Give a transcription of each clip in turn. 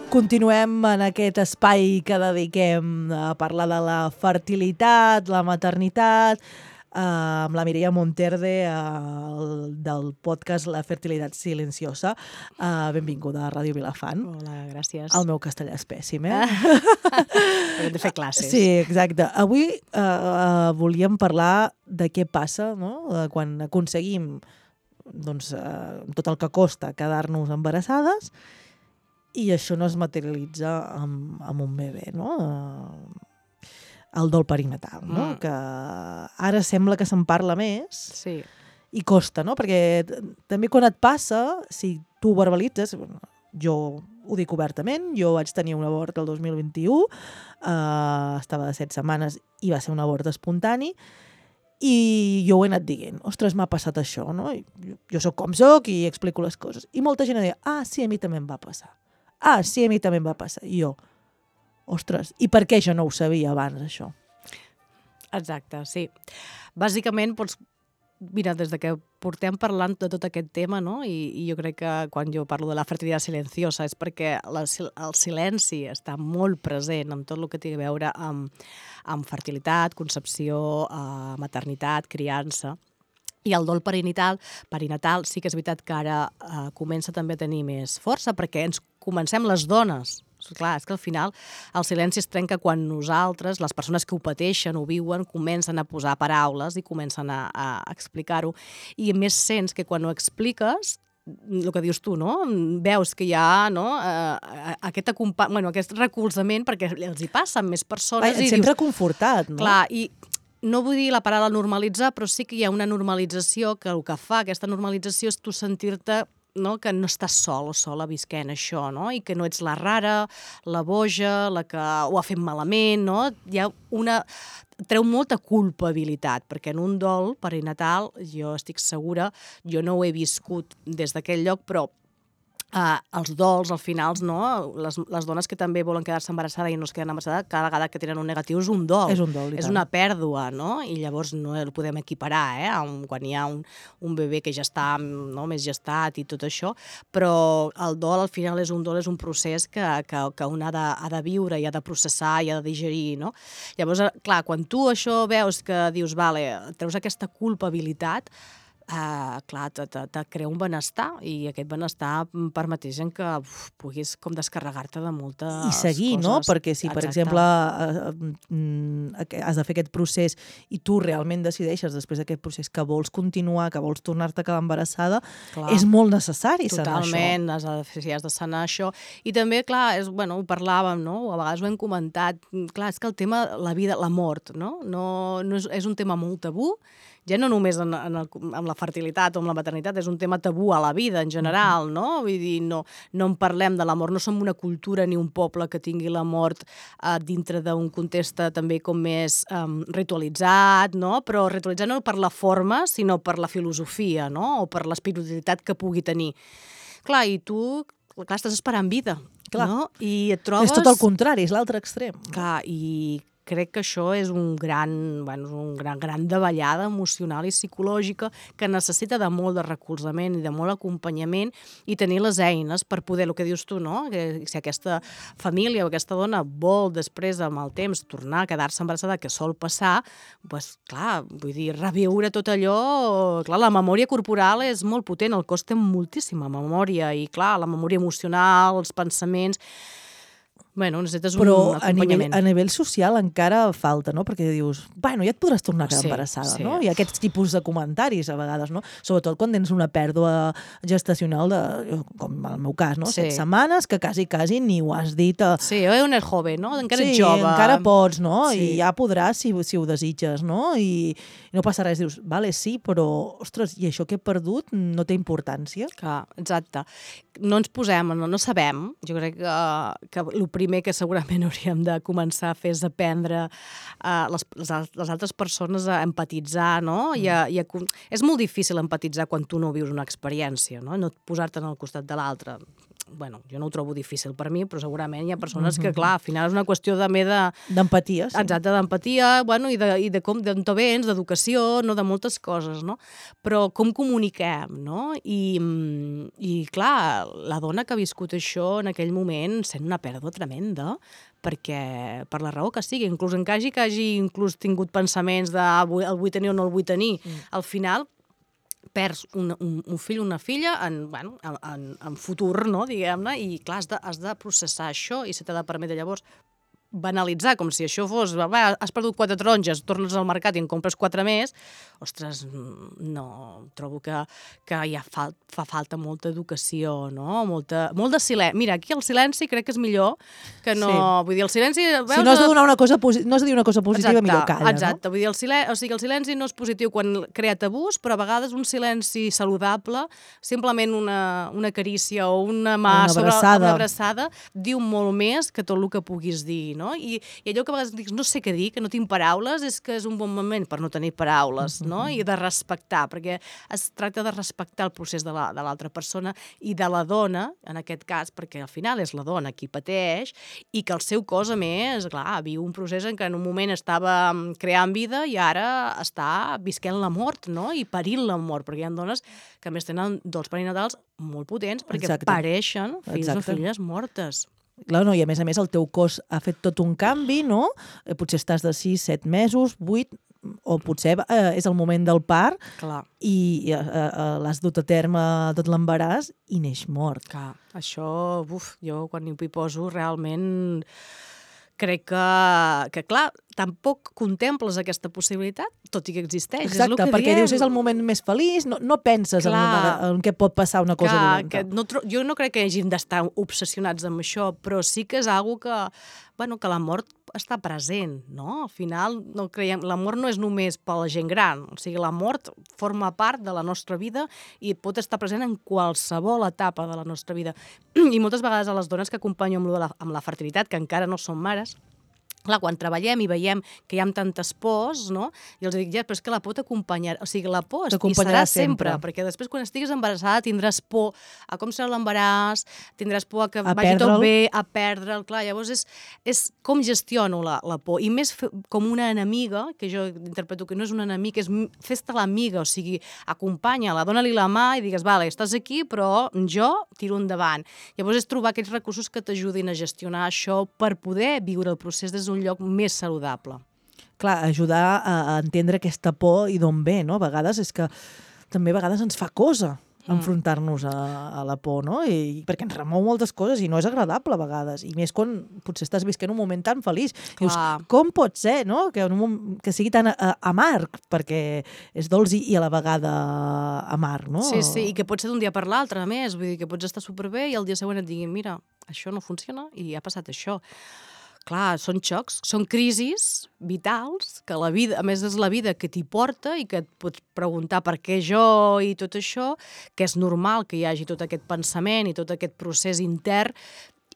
Continuem en aquest espai que dediquem a parlar de la fertilitat, la maternitat, amb la Mireia Monterde del podcast La fertilitat silenciosa. Benvinguda a Ràdio Vilafant. Hola, gràcies. El meu castellà és pèssim, Hem de fer classes. Sí, exacte. Avui volíem parlar de què passa, no? Quan aconseguim tot el que costa quedar-nos embarassades i això no es materialitza amb un bebè, no? El dol perinatal, no? Que ara sembla que se'n parla més i costa, no? Perquè també quan et passa, si tu ho verbalitzes, jo ho dic obertament, jo vaig tenir un abort el 2021, estava de 7 setmanes i va ser un abort espontani, i jo ho he anat dient, ostres, m'ha passat això, no? Jo soc com soc i explico les coses. I molta gent deia, sí, a mi també em va passar. Sí, a mi també em va passar. I jo, ostres, i per què jo no ho sabia abans, això? Exacte, sí. Bàsicament, mira, des de que portem parlant de tot aquest tema, no? I jo crec que quan jo parlo de la fertilitat silenciosa és perquè el silenci està molt present en tot el que té a veure amb fertilitat, concepció, maternitat, criança. I el dol perinatal sí que és veritat que ara comença també a tenir més força perquè ens comencem les dones. Clar, és que al final el silenci es trenca quan nosaltres, les persones que ho pateixen, ho viuen, comencen a posar paraules i comencen a explicar-ho. I més sents que quan ho expliques, el que dius tu, no? Veus que hi ha aquest recolzament perquè els hi passa amb més persones. Et sents reconfortat, no? Clar, i no vull dir la paraula normalitzar, però sí que hi ha una normalització que el que fa aquesta normalització és tu sentir-te que no estàs sol o sola visquent això, no? I que no ets la rara, la boja, la que ho ha fet malament, no? Hi ha treu molta culpabilitat, perquè en un dol perinatal, jo estic segura, jo no ho he viscut des d'aquell lloc, però els dols, al final, no? Les dones que també volen quedar-se embarassada i no es queden embarassada, cada vegada que tenen un negatiu és un dol. És un dol, i tant. És una pèrdua, no? I llavors no el podem equiparar, quan hi ha un bebè que ja està més gestat i tot això, però el dol, al final, és un procés que un ha de viure i ha de processar i ha de digerir, no? Llavors, clar, quan tu això veus que dius, vale, treus aquesta culpabilitat, clar, te crea un benestar i aquest benestar permeteix que puguis com descarregar-te de moltes coses. I seguir, no? Perquè si, per exemple, has de fer aquest procés i tu realment decideixes després d'aquest procés que vols continuar, que vols tornar-te a quedar embarassada, és molt necessari sanar això. Totalment, has de sanar això. I també, clar, ho parlàvem, no? A vegades ho hem comentat, clar, és que el tema, la vida, la mort, no? És un tema molt tabú, ja no només amb la fertilitat o amb la maternitat, és un tema tabú a la vida en general, no? Vull dir, no en parlem de la mort, no som una cultura ni un poble que tingui la mort dintre d'un context també com més ritualitzat, no? Però ritualitzat no per la forma, sinó per la filosofia, no? O per l'espiritualitat que pugui tenir. Clar, i tu, estàs esperant vida, no? I et trobes... És tot el contrari, és l'altre extrem. Clar, i crec que això és un gran davallada emocional i psicològica que necessita de molt de recolzament i de molt acompanyament i tenir les eines per poder, el que dius tu, no? Que si aquesta família o aquesta dona vol després, amb el temps, tornar a quedar-se embarassada, que sol passar, doncs, clar, vull dir, reviure tot allò... Clar, la memòria corporal és molt potent, el cos té moltíssima memòria i, clar, la memòria emocional, els pensaments... necessites un acompanyament. Però a nivell social encara falta, no? Perquè dius, ja et podràs tornar a quedar embarassada, no? Hi ha aquests tipus de comentaris a vegades, no? Sobretot quan tens una pèrdua gestacional com en el meu cas, no? 7 setmanes, que quasi ni ho has dit. Sí, un és jove, no? Encara ets jove. Sí, encara pots, no? I ja podràs si ho desitges, no? I no passa res, dius, vale, sí, però, ostres, i això que he perdut no té importància? Clar, exacte. No ens posem, no sabem, jo crec que el primer que segurament hauríem de començar a fer és aprendre les altres persones a empatitzar, no? És molt difícil empatitzar quan tu no vius una experiència, no? No posar-te al costat de l'altre. bueno, jo no ho trobo difícil per mi, però segurament hi ha persones que, clar, al final és una qüestió també d'empatia, sí. Exacte, d'empatia, bueno, i de com, d'on vens, d'educació, no, de moltes coses, no? Però com comuniquem, no? I clar, la dona que ha viscut això en aquell moment sent una pèrdua tremenda, perquè per la raó que sigui, inclús que hagi inclús tingut pensaments de el vull tenir o no el vull tenir, al final perds un fill o una filla en futur, no, diguem-ne, i clar, has de processar això i se t'ha de permetre llavors banalitzar, com si això fos, has perdut 4 taronges, tornes al mercat i en compres 4 més, ostres, no, trobo que ja fa falta molta educació, no? Molt de silenci. Mira, aquí el silenci crec que és millor que no... Sí. Vull dir, el silenci... Si no has de donar una cosa no has de dir una cosa positiva, exacte, millor calla, exacte. No? Vull dir, el silenci no és positiu quan crea tabús, però a vegades un silenci saludable, simplement una carícia o una mà sobre una abraçada, diu molt més que tot el que puguis dir, no? I allò que a vegades dius, no sé què dir, que no tinc paraules, és que és un bon moment per no tenir paraules, no? I de respectar, perquè es tracta de respectar el procés de l'altra persona i de la dona, en aquest cas, perquè al final és la dona qui pateix, i que el seu cos, a més, clar, viu un procés en què en un moment estava creant vida i ara està visquent la mort, no? I parint la mort, perquè hi ha dones que a més tenen dols perinatals molt potents perquè pareixen fills o filles mortes. Clar, no, i a més el teu cos ha fet tot un canvi, no? Potser estàs de 6, 7 mesos, 8, o potser és el moment del part. Clar. I l'has dut a terme tot l'embaràs i neix mort. Clar, això, jo quan hi poso realment crec que clar, tampoc contemples aquesta possibilitat, tot i que existeix. Exacte, és el que perquè diem. dius és el moment més feliç, no penses en què pot passar una cosa dolenta. Jo no crec que hàgim d'estar obsessionats amb això, però sí que és algo que la mort està present, no? Al final, la mort no és només per la gent gran, o sigui, la mort forma part de la nostra vida i pot estar present en qualsevol etapa de la nostra vida. I moltes vegades a les dones que acompanyo amb la fertilitat, que encara no són mares, clar, quan treballem i veiem que hi ha tantes pors, no? I els dic, però és que la por t'acompanyarà, o sigui, la por hi serà sempre, perquè després quan estiguis embarassada tindràs por a com serà l'embaràs, tindràs por a que vagi tot bé, a perdre'l, clar, llavors és com gestiono la por, i més com una enemiga, que jo interpreto que no és una enemiga, és fes-te l'amiga, o sigui, acompanya-la, dona-li la mà i digues, vale, estàs aquí, però jo tiro endavant. Llavors és trobar aquests recursos que t'ajudin a gestionar això per poder viure el procés des d'un lloc més saludable. Clar, ajudar a entendre aquesta por i d'on ve, no? A vegades és que també a vegades ens fa cosa enfrontar-nos a la por, no? Perquè ens remou moltes coses i no és agradable a vegades, i més quan potser estàs visquent un moment tan feliç. Dius, com pot ser, no? Que sigui tan amarg, perquè és dolç i a la vegada amarg, no? Sí, i que pot ser d'un dia per l'altre, a més, vull dir que pots estar superbé i el dia següent et diguin, mira, això no funciona i ha passat això. Clar, són xocs, són crisis vitals, que la vida, a més és la vida que t'hi porta i que et pots preguntar per què jo i tot això, que és normal que hi hagi tot aquest pensament i tot aquest procés intern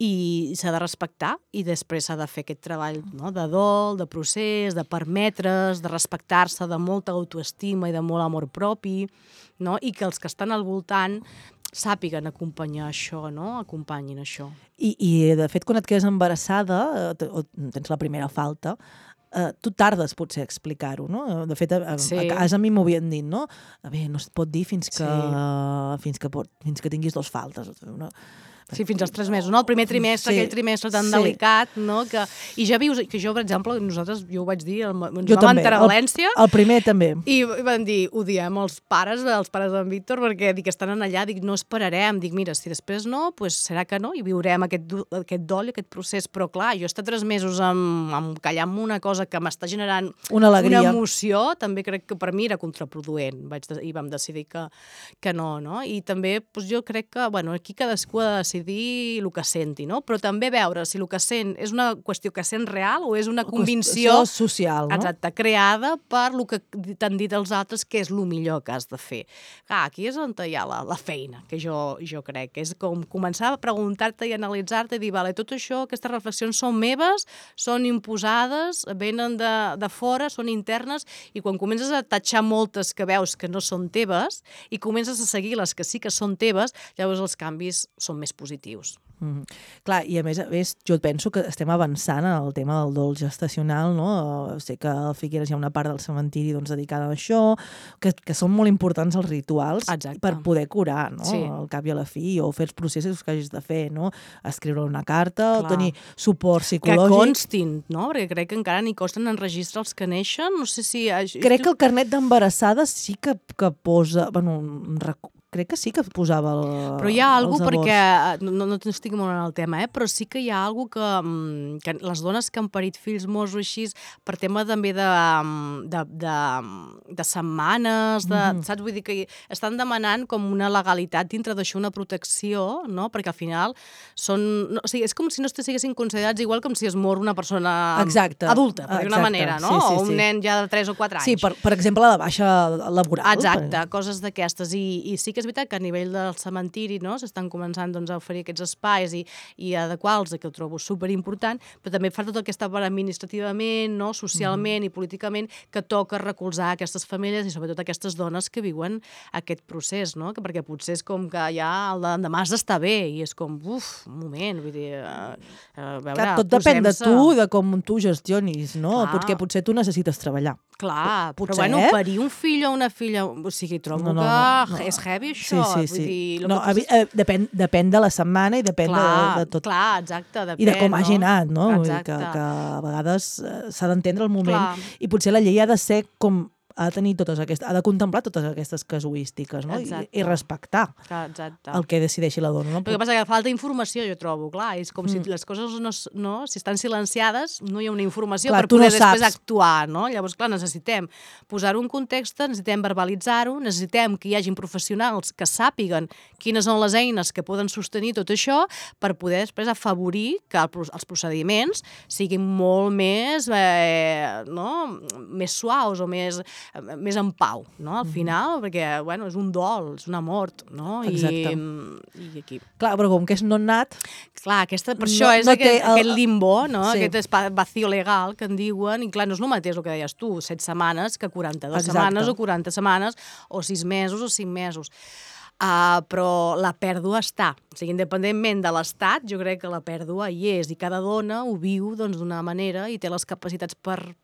i s'ha de respectar i després s'ha de fer aquest treball, no? De dol, de procés, de permetre's, de respectar-se, de molta autoestima i de molt amor propi, no? I que els que estan al voltant sàpiguen acompanyar això, no? Acompanyin això. I de fet, quan et quedes embarassada o tens la primera falta, tu tardes potser a explicar-ho, no? De fet, a casa a mi m'ho havien dit, no? Bé, no es pot dir fins que tinguis 2 faltes, no? Sí, fins als 3 mesos, no? El primer trimestre, aquell trimestre tan delicat, no? I ja vius, que jo, per exemple, jo ho vaig dir, ens vam enterar a València. El primer també. I vam dir, ho diem els pares d'en Víctor, perquè dic, estan allà, dic, no esperarem, dic, mira, si després no, doncs serà que no, i viurem aquest dol i aquest procés, però clar, jo estar 3 mesos callant-me una cosa que m'està generant una emoció, també crec que per mi era contraproduent, i vam decidir que no, no? I també, jo crec que, bueno, aquí cadascú ha de decidir el que senti, no? Però també veure si el que sent és una qüestió que sent real o és una convicció social, no? Exacte, creada per el que t'han dit els altres que és el millor que has de fer. Clar, aquí és on hi ha la feina, que jo crec, que és com començar a preguntar-te i analitzar-te i dir, vale, tot això, aquestes reflexions són meves, són imposades, venen de fora, són internes, i quan comences a tatxar moltes que veus que no són teves i comences a seguir les que sí que són teves, llavors els canvis són més positius. positius. Clar, i a més, jo penso que estem avançant en el tema del dol gestacional, no? Sé que a Figueres hi ha una part del cementiri dedicada a això, que són molt importants els rituals per poder curar, no? Al cap i a la fi, o fer els processos que hagis de fer, no? Escriure una carta, o tenir suport psicològic. Que constin, no? Perquè crec que encara ni consten en registre els que neixen, no sé si... Crec que el carnet d'embarassada sí que posa... Bueno, crec que sí que posava però hi ha alguna cosa, perquè no estic molt en el tema, però sí que hi ha alguna cosa que les dones que han parit fills morts o així, per tema també de setmanes, saps? Vull dir que estan demanant com una legalitat dintre d'això, una protecció, no? Perquè al final o sigui, és com si no estiguessin considerats igual com si es mor una persona adulta, per dir una manera, no? O un nen ja de 3 o 4 anys. Sí, per exemple, la baixa laboral. Exacte, coses d'aquestes. I sí que és veritat que a nivell del cementiri, no, s'estan començant a oferir aquests espais i adequar-los, que ho trobo superimportant, però també fa tota aquesta part administrativament, no, socialment i políticament, que toca recolzar aquestes famílies i sobretot aquestes dones que viuen aquest procés, no? Perquè potser és com que ja el d'endemà has d'estar bé i és com, un moment, vull dir... Clar, tot depèn de tu, de com tu gestionis, no? Perquè potser tu necessites treballar. Clar, però bueno, parir un fill o una filla, o sigui, trobo que és heavy això. Sí. Depèn de la setmana i depèn de tot. Clar, exacte. I de com hagi anat, no? Que a vegades s'ha d'entendre el moment i potser la llei ha de ser com ha de contemplar totes aquestes casuístiques, no? I respectar el que decideixi la dona. El que passa és que falta informació, jo trobo, clar, és com si les coses si estan silenciades, no hi ha una informació per poder després actuar, no? Llavors, clar, necessitem posar-ho en context, necessitem verbalitzar-ho, necessitem que hi hagin professionals que sàpiguen quines són les eines que poden sostenir tot això per poder després afavorir que els procediments siguin molt més més suaus o més en pau, no? Al final, perquè, bueno, és un dol, és una mort, no? Exacte. I aquí... Clar, però com que és non-nat... Clar, per això és aquest limbo, no? Aquest vacío legal que en diuen, i clar, no és el mateix el que deies tu, 7 setmanes que 42 setmanes o 40 setmanes o 6 mesos o 5 mesos. Però la pèrdua està. O sigui, independentment de l'estat, jo crec que la pèrdua hi és i cada dona ho viu d'una manera i té les capacitats per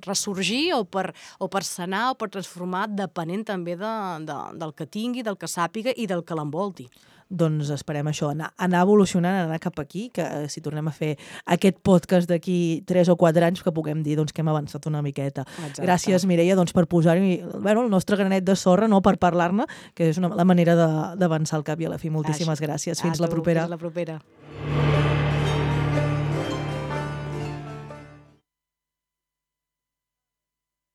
ressorgir o per sanar o per transformar, depenent també del que tingui, del que sàpiga i del que l'envolti. Doncs esperem això, anar evolucionant, anar cap aquí, que si tornem a fer aquest podcast d'aquí 3 o 4 anys, que puguem dir que hem avançat una miqueta. Exacte. Gràcies, Mireia, per posar-hi el nostre granet de sorra, per parlar-ne, que és la manera d'avançar al cap i a la fi. Moltíssimes gràcies. Fins la propera. Fins la propera.